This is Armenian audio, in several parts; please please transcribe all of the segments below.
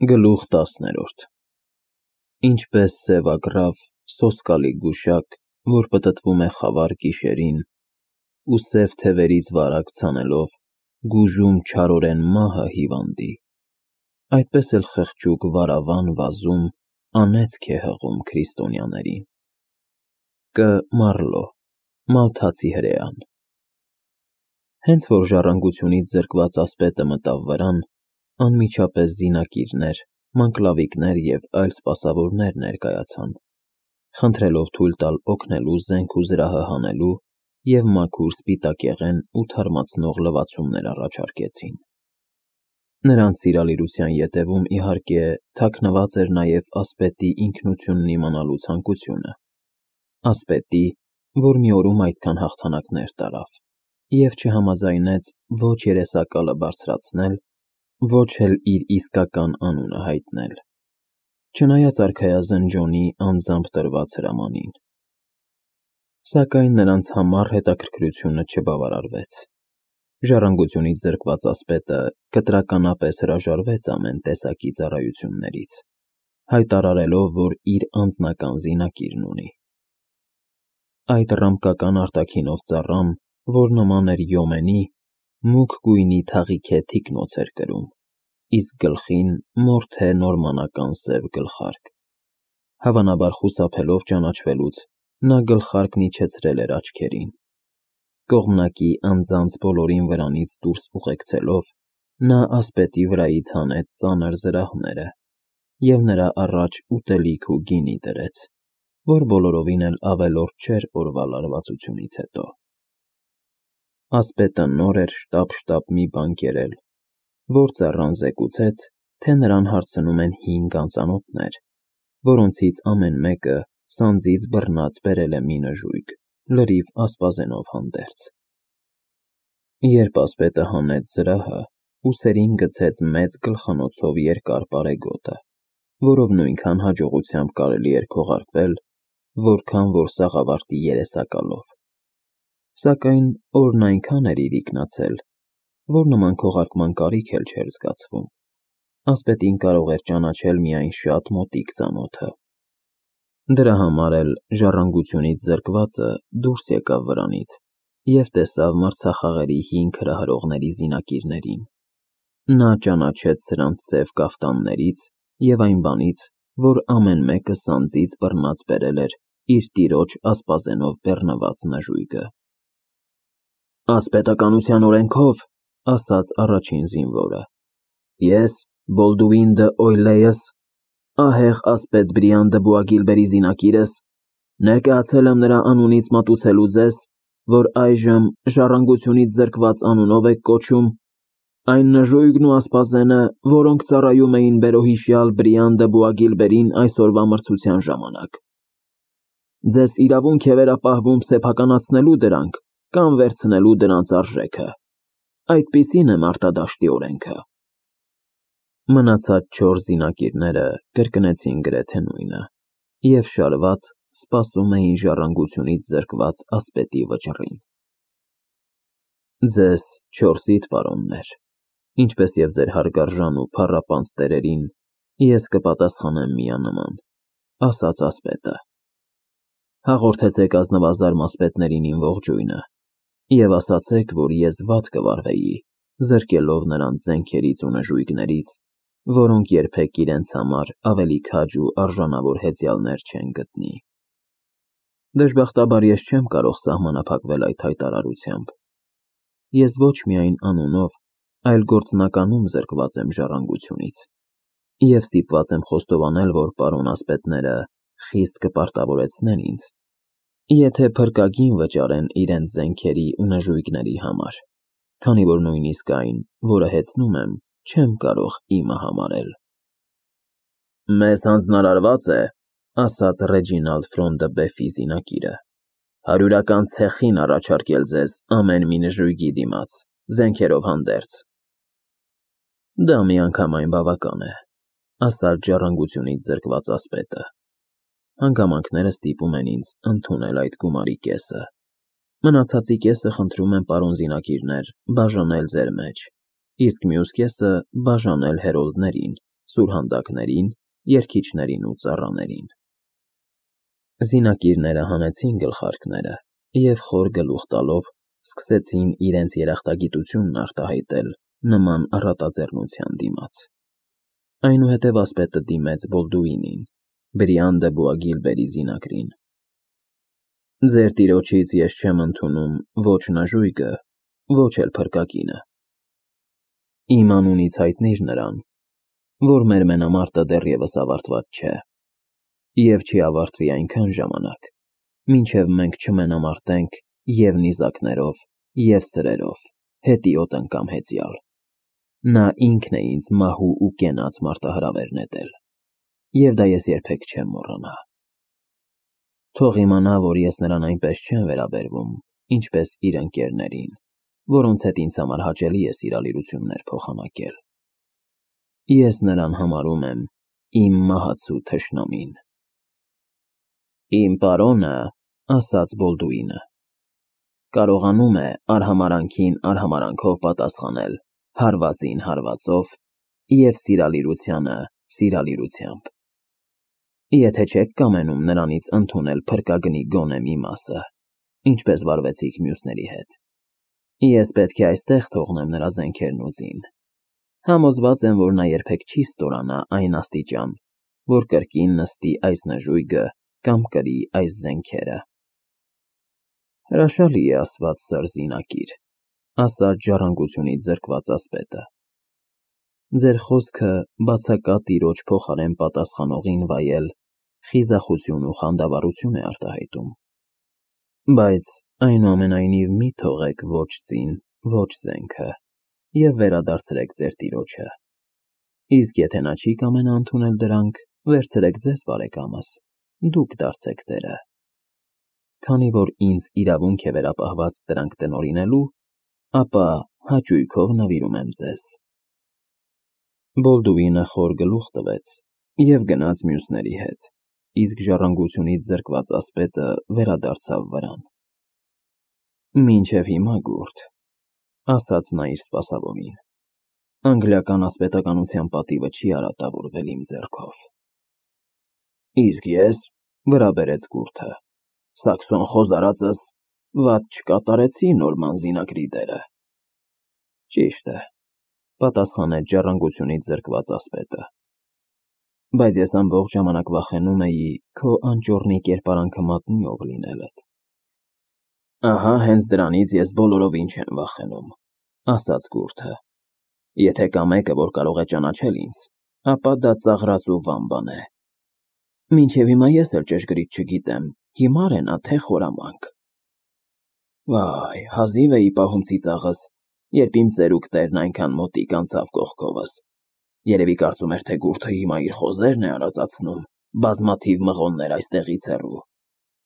Գլուխ 10 Ինչպես սևագրավ, սոսկալի գուշակ, որ պտտվում է խավար գիշերին, ու սև թևերից վարակ ցանելով, գուժում չարորեն մահը հիվանդի, այդպես էլ խղճուկ վարավան վազում, անեծք է հղում քրիստոնյաներին։ Կ. Մարլո, Մալթացի հրեան։ Հենց որ ժառանգությունից զրկված ասպետը մտավ վրան, անմիջապես զինակիրներ, մանկլավիկներ և այլ սպասավորներ ներկայացան, խնդրելով թույլ տալ օգնելու զենք ու զրահը հանելու և մաքուր սպիտակեղեն ու թարմացնող լվացումներ առաջարկեցին։ Նրանց սիրալիրության ետևում, իհարկե, թաքնված էր նաև ասպետի ինքնությունն իմանալու ցանկությունը, ասպետի, որ մի օրում այդքան հաղթանակներ տարավ և չհամաձայնեց ոչ երեսակալը բարձրացնել, ոչ էլ իր իսկական անունը հայտնել, չնայած արքայազն Ջոնի անձամբ տրված հրամանին։ Սակայն նրանց համառ հետաքրքրությունը չբավարարվեց։ Ժառանգությունից զրկված ասպետը կտրականապես հրաժարվեց ամեն տեսակի ծառայություններից, հայտարարելով, որ իր անձնական զինակիրն ունի։ Այդ ռամկական արտաքինով ծառան, որ նման էր յոմենի, մուգ գույնի թաղիքե թիկնոց էր կրում, իսկ գլխին մորթե նորմանական սև գլխարկ։ Հավանաբար խուսափելով ճանաչվելուց, նա գլխարկն իջեցրել էր աչքերին։ Կողմնակի անձանց բոլորին վրանից դուրս ուղեկցելով, նա ասպետի վրայից հանեց ծանր զրահները և նրա առաջ ուտելիք ու գինի դրեց, որ բոլորովին էլ ավելորդ չէր օրվա լարվածությունից հետո։ Ասպետը նոր էր շտապ մի բան կերել, որ ծառան զեկուցեց, թե նրան հարցնում են 5 անծանոթներ, որոնցից ամեն մեկը սանձից բռնած բերել է մի նժույգ, լրիվ ասպազենով հանդերձ։ Երբ ասպետը հանեց զրահը, ուսերին գցեց մեծ գլխանոցով երկար պարեգոտը, որով նույնքան հաջողությամբ կարելի էր քողարկվել, որքան որ սաղավարտի երեսակալով։ Սակայն օրն այնքան էր իրիկնացել, որ նման քողարկման կարիք էլ չէր զգացվում, ասպետին կարող էր ճանաչել միայն շատ մոտիկ ծանոթը։ Դրա համար էլ ժառանգությունից զրկվածը դուրս եկավ վրանից և տեսավ մրցախաղերի 5 հրահրողների զինակիրներին։ Նա ճանաչեց սրանց սև կաֆտաններից և այն բանից, որ ամեն մեկը սանձից բռնած բերել էր իր տիրոջ ասպազենով բեռնված նժույգը։ Ասպետականության օրենքով, ասաց առաջին զինվորը, ես, Բոլդուին դը Օյլեյս, ահեղ ասպետ Բրիան դը Բուագիլբերի զինակիրս, ներկայացել եմ նրա անունից մատուցելու ձեզ, որ այժմ ժառանգությունից զրկված անունով եք կոչում, այն նժույգն ու ասպազենը, որոնք ծառայում էին բերոհիշյալ Բրիան դը Բուագիլբերին այսօրվա մրցության ժամանակ։ Ձեզ իրավունք է վերապահվում սեփականացնելու դրանք կամ վերցնելու դրանց արժեքը։ Այդպիսին է մարտադաշտի օրենքը։ Մնացած 4 զինակիրները կրկնեցին գրեթե նույնը և շարված սպասում էին ժառանգությունից զրկված ասպետի վճռին։ Ձեզ 4-իդ պարոններ, ինչպես և ձեր հարգարժան ու փառապանծ տերերին, ես կպատասխանեմ միանման, ասաց ասպետը։ Հաղորդեցեք ազնվազարմ ասպետներին իմ ողջույնը և ասացեք, որ ես վատ կվարվեի, զրկելով նրանց զենքերից ու նժույգներից, որոնք երբեք իրենց համար ավելի քաջ ու արժանավոր հեծյալներ չեն գտնի։ Դժբախտաբար ես չեմ կարող սահմանափակվել այդ հայտարարությամբ։ Ես ոչ միայն անունով, այլ գործնականում զրկված եմ ժառանգությունից և ստիպված եմ խոստովանել, որ պարոն ասպետները խիստ կպարտավորեցնեն ինձ, եթե փրկագին վճարեն իրենց զենքերի ու նժույգների համար, քանի որ նույնիսկ այն, որը հեծնում եմ, չեմ կարող իմը համարել։ Մեզ հանձնարարված է, ասաց Ռեջինալդ Ֆրոն դը Բեֆի զինակիրը, 100-ական ցեխին առաջարկել ձեզ ամեն մի նժույգի դիմաց, զենքերով հանդերձ։ Դա միանգամայն բավական է, ասաց ժառանգությունից զրկված ասպետը։ Հանգամանքները ստիպում են ինձ ընդունել այդ գումարի կեսը։ Մնացածի կեսը խնդրում եմ պարոն զինակիրներ բաժանել ձեր մեջ, իսկ մյուս կեսը բաժանել հերոլդներին, սուրհանդակներին, երգիչներին ու ծառաներին։ Զինակիրները հանեցին գլխարկները և խոր գլուխ տալով սկսեցին իրենց երախտագիտությունն արտահայտել նման առատաձեռնության դիմաց։ Այնուհետև ասպետը դիմեց Բոլդուինին, Բրիան դե Բուագիլբերի զինակրին։ Ձեր տիրոջից ես չեմ ընդունում ոչ նժույգը, ոչ էլ փրկագինը։ Իմ անունից հայտնիր նրան, որ մեր մենամարտը դեռևս ավարտված չէ, և չի ավարտվի այնքան ժամանակ, մինչև մենք չմենամարտենք և նիզակներով, և սրերով, հետիոտ անգամ հեծյալ։ Նա ինքն է ինձ մահու ու կենաց մարտահրավեր նետել, և դա ես երբեք չեմ մոռանա։ Թող իմանա, որ ես նրան այնպես չեմ վերաբերվում, ինչպես իր ընկերներին, որոնց հետ ինձ համար հաճելի է սիրալիրություններ փոխանակել։ Ես նրան համարում եմ իմ մահացու թշնամին։ Իմ պարոնը, ասաց Բոլդուինը, կարողանում է արհամարանքին արհամարանքով պատասխանել հարվածին հարվածով և սիրալիրությանը սիրալիրությամբ։ Եթե չեք կամենում նրանից ընդունել փրկագնի գոնե մի մասը, ինչպես վարվեցիք մյուսների հետ, ես պետք է այստեղ թողնեմ նրա զենքերն ու զին։ Համոզված եմ, որ նա երբեք չի ստորանա այն աստիճան, որ կրկին նստի այս նժույգը կամ կրի այս զենքերը։ Հրաշալի է ասված, սըր զինակիր, ասաց ժառանգությունից զրկված ասպետը։ Ձեր խոսքը բացակա տիրոջ փոխարեն պատասխանողին վայել խիզախություն ու խանդավառություն է արտահայտում։ Բայց այնուամենայնիվ մի թողեք ոչ զին, ոչ զենքը և վերադարձրեք ձեր տիրոջը։ Իսկ եթե նա չի կամենա ընդունել դրանք, վերցրեք ձեզ բարեկամս, դուք դարձեք տերը։ Քանի որ ինձ իրավունք է վերապահված դրանք տնօրինելու, ապա հաճույքով նվիրում եմ ձեզ։ Բոլդուինը խոր գլուխ տվեց և գնաց մյուսների հետ, իսկ ժառանգությունից զրկված ասպետը վերադարձավ վրան։ Մինչև հիմա, գուրդ, ասաց նա իր սպասավորին, անգլիական ասպետականության պատիվը չի արատավորվել իմ ձեռքով։ Իսկ ես, վրա բերեց գուրդը, Սաքսոն խոզարածս վատ չկատարեցի նորման զինակրի դերը։ Ճիշտ է, պատասխանեց ժառանգությունից զրկված ասպետը, բայց ես ամբողջ ժամանակ վախենում էի քո անճոռնի կերպարանքը մատնի ով լինելդ։ Ահա հենց դրանից ես բոլորովին չեմ վախենում, ասաց գուրդը։ Եթե կա մեկը, որ կարող է ճանաչել ինձ, ապա դա ծաղրած ու վան բան է։ Մինչև հիմա ես էլ ճշգրիտ չգիտեմ, հիմար է նա, թե խորամանկ։ Վայ, հազիվ էի պահում ծիծաղս, երբ իմ ծերուկ տերն այնքան մոտիկ անցավ կողքովս։ Երևի կարծում էր, թե գուրդը հիմա իր խոզերն է արածացնում, բազմաթիվ մղոններ այստեղից հեռու,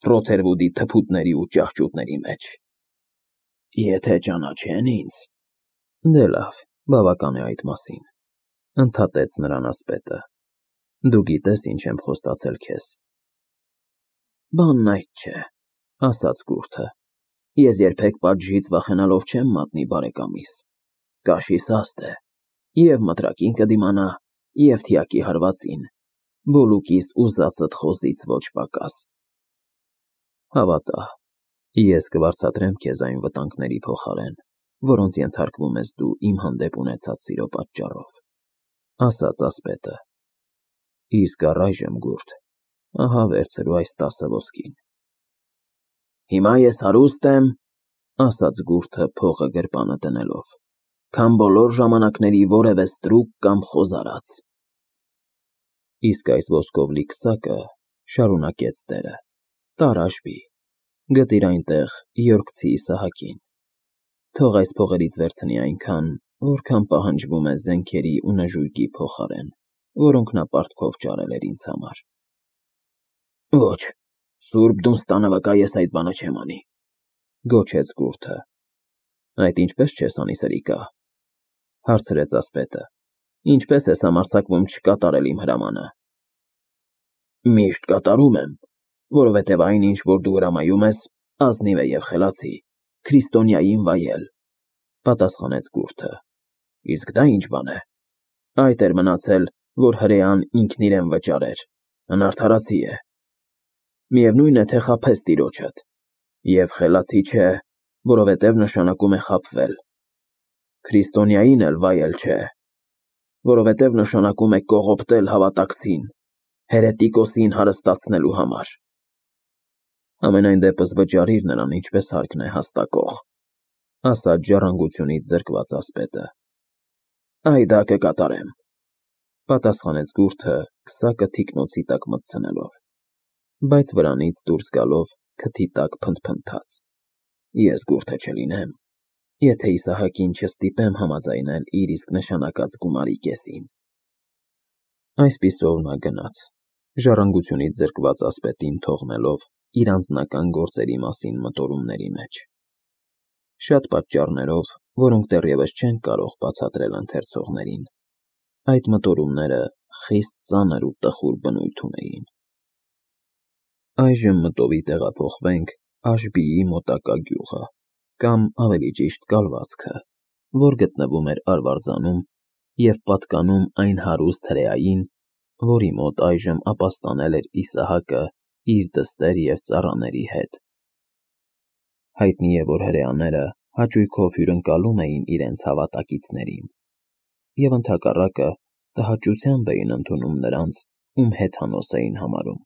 Ռոթերվուդի թփուտների ու ճահճուտների մեջ։ Եթե ճանաչեն ինձ… Դե լավ, բավական է այդ մասին, ընդհատեց նրան ասպետը։ Դու գիտես ինչ եմ խոստացել քեզ։ Բանն այդ չէ, ասաց գուրդը։ Ես երբեք պատժից վախենալով չեմ մատնի բարեկամիս։ Կաշիս հաստ է, և մտրակին կդիմանա, և թիակի հարվածին, բոլուկիս ուզածդ խոզից ոչ պակաս։ Հավատա, ես կվարձատրեմ քեզ այն վտանգների փոխարեն, որոնց ենթարկվում ես դու իմ հանդեպ ունեցած սիրո պատճառով, ասաց ասպետը։ Իսկ առայժմ, գուրդ, ահա վերցրու այս 10 ոսկին։ Հիմա ես հարուստ եմ, ասաց գուրդը փողը գրպանը դնելով, քան բոլոր ժամանակների որևէ ստրուկ կամ խոզարած։ Իսկ այս ոսկով լի քսակը, շարունակեց տերը, տար հաշվի, գտիր այնտեղ Յորքցի Իսահակին։ Թող այս փողերից վերցնի այնքան, որքան պահանջվում է զենքերի ու նժույգի փոխարեն, որոնք նա պարտքով ճարել էր ինձ համար։ Ոչ, Սուրբ Դունստանը վկա, ես այդ բանը չեմ անի, գոչեց գուրդը։ Այդ ինչպես չես անի, սրիկա, հարցրեց ասպետը։ Ինչպես ես համարձակվում չկատարել իմ հրամանը։ Միշտ կատարում եմ, որովհետև այն ինչ, որ դու հրամայում ես, ազնիվ է և խելացի, քրիստոնյային վայել, պատասխանեց գուրդը։ Իսկ դա ինչ բան է։ Այդ էր մնացել, որ հրեան ինքն իրեն վճարեր, անարդարացի է։ Միևնույն է, թե խաբես տիրոջդ, և խելացի չէ, որովհետև նշանակում է խաբվել։ Քրիստոնյային էլ վայել չէ, որովհետև նշանակում է կողոպտել հավատակցին, հերետիկոսին հարստացնելու համար։ Ամենայն դեպս վճարիր նրան, ինչպես հարկն է հաստակող, ասաց ժառանգությունից զրկված ասպետը։ Այ դա կկատարեմ, պատասխանեց գուրդը քսակը թիկնոցի տակ մտցնելով, բայց վրանից դուրս գալով քթի տակ փնթփնթաց. Ես գուրդը չլինեմ, եթե Իսահակին չստիպեմ համաձայնել իր իսկ նշանակած գումարի կեսին։ Այսպիսով նա գնաց, ժառանգությունից զրկված ասպետին թողնելով իր անձնական գործերի մասին մտորումների մեջ։ Շատ պատճառներով, որոնք դեռևս չեն կարող բացատրել ընթերցողներին, այդ մտորումները խիստ ծանր ու տխուր բնույթ ունեին։ Այժմ մտովի տեղափոխվենք Աշբիի մոտակա գյուղը, կամ ավելի ճիշտ կալվածքը, որ գտնվում էր Արվարձանում և պատկանում այն հարուստ հրեային, որի մոտ այժմ ապաստանել էր Իսահակը իր դստեր և ծառաների հետ։ Հայտնի է, որ հրեաները հաճույքով հյուրընկալում էին իրենց հավատակիցներին և ընդհակառակը տհաճությամբ էին ընդունում նրանց, ում հեթանոս էին համարում։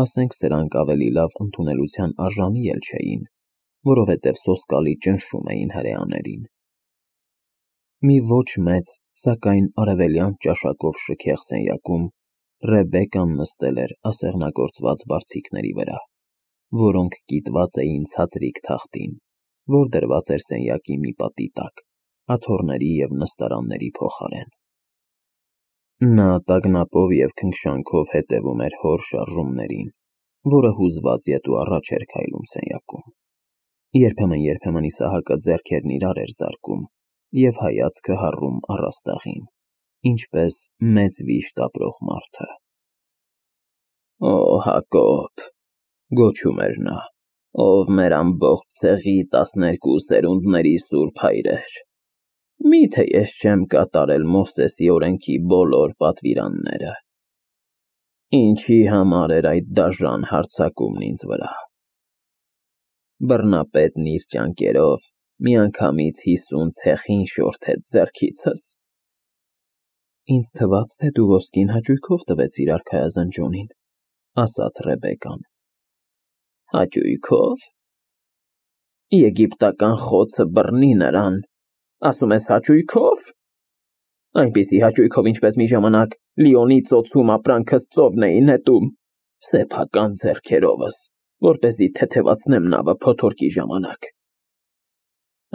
Ասենք սրանք ավելի լավ ընդունելության արժանի էլ չէին, որովհետև սոսկալի ճնշում էին հրեաներին։ Մի ոչ մեծ, սակայն արևելյան ճաշակով շքեղ սենյակում Ռեբեկկան նստել էր ասեղնագործված բարձիկների վրա, որոնք կիտված էին ցածրիկ թախտին, որ դրված էր սենյակի մի պատի տակ, աթոռների և նստարանների փոխարեն։ Նա տագնապով և քնքշանքով հետևում էր հոր շարժումներին, որը հուզված ետ ու առաջ էր քայլում սենյակում։ Երբեմն Իսահակը ձեռքերն իրար էր զարկում և հայացքը հառում առաստաղին, ինչպես մեծ վիշտ ապրող մարդը։ Օ Հակոբ, գոչում էր նա, ով մեր ամբողջ ցեղի 12 սերունդների սուրբ հայրեր, միթե ես չեմ կատարել Մովսեսի օրենքի բոլոր պատվիրանները։ Ինչի համար էր այդ դաժան հարձակումն ինձ վրա։ Բռնապետն իր ճանկերով միանգամից 50 ցեխին շորթեց ձեռքիցս։ Ինձ թվաց, թե դու ոսկին հաճույքով տվեցիր արքայազնջոնին, ասաց Ռեբեկկան։ Հաճույքով։ Եգիպտական խոցը բռնի նրան, ասում ես հաճույքով։ Այնպիսի հաճույքով, ինչպես մի ժամանակ Լիոնի ծոցում ապրանքս ծովն էի նետում, սեփական ձեռքերովս, որպեսզի թեթևացնեմ նավը փոթորկի ժամանակ։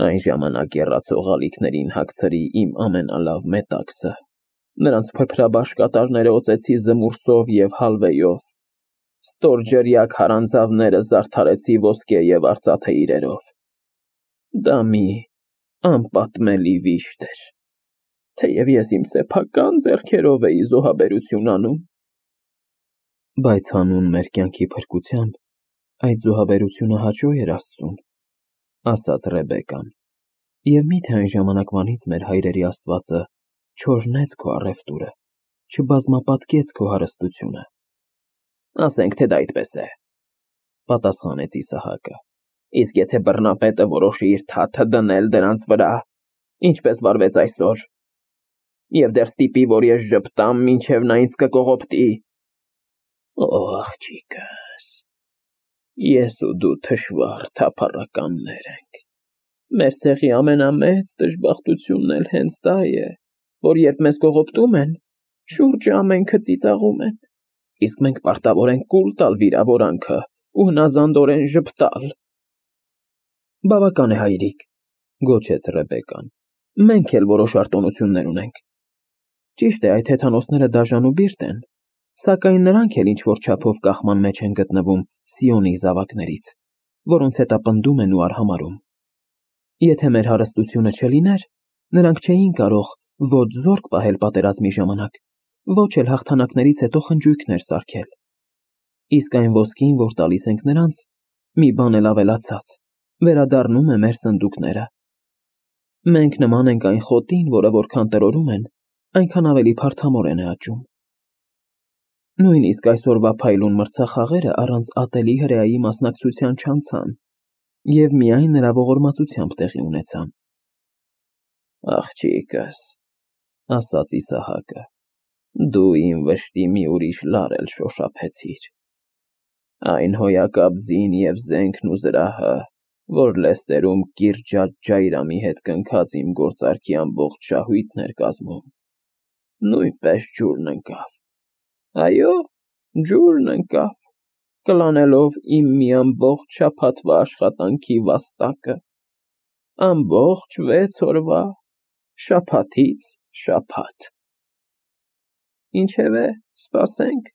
Այն ժամանակ եռացող ալիքներին հագցրի իմ ամենալավ մետաքսը, նրանց փրփրաբաշ կատարները օծեցի զմուրսով և հալվեյով, ստորջրյա քարանձավները զարդարեցի ոսկե և արծաթե իրերով։ Դա մի անպատմելի վիշտ էր, թեև ես իմ սեփական ձեռքերով էի զոհաբերություն անում։ Բայց հանուն մեր կյանքի փրկության այդ զոհաբերությունը հաճո էր Աստծուն, ասաց Ռեբեկկան, և միթե այն ժամանակվանից մեր հայրերի Աստվածը չօրհնեց քո առևտուրը, չբազմապատկեց քո հարստությունը։ Ասենք, թե դա այդպես է, պատասխանեց Իսահակը, իսկ եթե բռնապետը որոշի իր թաթը դնել դրանց վրա, ինչպես վարվեց այսօր, և դեռ ստիպի, որ ես ժպտամ, մինչև նա ինձ կկողոպտի։ Օ, աղջիկս, ես ու դու թշվառ թափառականներ ենք։ Մեր ցեղի ամենամեծ դժբախտությունն էլ հենց դա է, որ երբ մեզ կողոպտում են, շուրջը ամենքը ծիծաղում են, իսկ մենք պարտավոր ենք կուլ տալ վիրավորանքը ու հնազանդորեն ժպտալ։ Բավական է, հայրիկ, գոչեց Ռեբեկկան, մենք էլ որոշ արտոնություններ ունենք։ Ճիշտ է, այդ հեթանոսները դաժան ու բիրտ են, սակայն նրանք էլ ինչ-որ չափով կախման մեջ են գտնվում Սիոնի զավակներից, որոնց հետապնդում են ու արհամարհում։ Եթե մեր հարստությունը չլիներ, նրանք չէին կարող ոչ զորք պահել պատերազմի ժամանակ, ոչ էլ հաղթանակներից հետո խնջույքներ սարքել։ Իսկ այն ոսկին, որ տալիս ենք նրանց, մի բան էլ ավելացած, վերադառնում է մեր սնդուկները։ Մենք նման ենք այն խոտին, որը որքան տրորում են, այնքան ավելի փարթամորեն է աճում։ Նույնիսկ այսօրվա փայլուն մրցախաղերը առանց ատելի հրեայի մասնակցության չանցան և միայն նրա ողորմածությամբ տեղի ունեցան։ Աղջիկս, ասաց Իսահակը, դու իմ վշտի մի ուրիշ լար էլ շոշափեցիր։ Այն հոյակապ ձին և զենքն ու զրահը, որ լեստերում կիրճած Ջայրամի հետ կնքած իմ գործարքի ամբողջ շահույթն էր կազմում, նույնպես ջուրն ընկավ։ Այո, ջուրն ընկավ, կլանելով իմ մի ամբողջ շաբաթվա աշխատանքի վաստակը, ամբողջ 6 օրվա, շաբաթից շաբաթ։ Ինչևէ, սպասենք,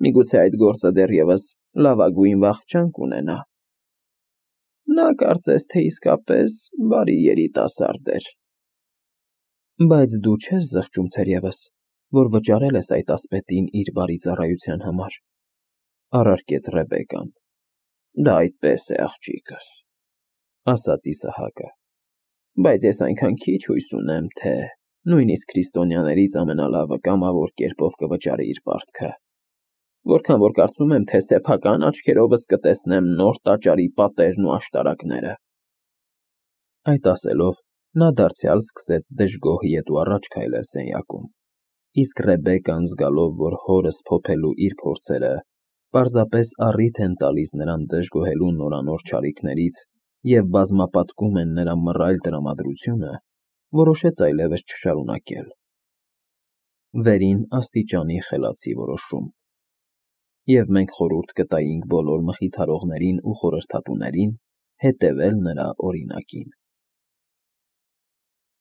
միգուցե այդ գործը դեռևս լավագույն վախճան կունենա։ Նա կարծես թե իսկապես բարի երիտասարդ էր։ Բայց դու չես զղջում թերևս, որ վճարել ես այդ ասպետին իր բարի ծառայության համար, առարկեց Ռեբեկկան։ Դա այդպես է, աղջիկս, ասաց Իսահակը, բայց ես այնքան քիչ հույս ունեմ, թե նույնիսկ քրիստոնյաներից ամենալավը կամավոր կերպով կվճարի իր պարտքը, որքան որ կարծում եմ, թե սեփական աչքերովս կտեսնեմ նոր տաճարի պատերն ու աշտարակները։ Այդ ասելով, նա դարձյալ սկսեց դժգոհ ետու առաջ քայլել սենյակում, իսկ Ռեբեկկան զգալով, որ հորս փոփելու իր փորձերը պարզապես առիթ են տալիս նրան դժգոհելու նորանոր չարիքներից և բազմապատկում են նրա մռայլ տրամադրությունը, որոշեց այլևս չշարունակել։ Վերին աստիճանի խելացի որոշում։ Եվ մենք խորհուրդ կտայինք բոլոր մխիթարողներին ու խորհրդատուներին հետևել նրա օրինակին։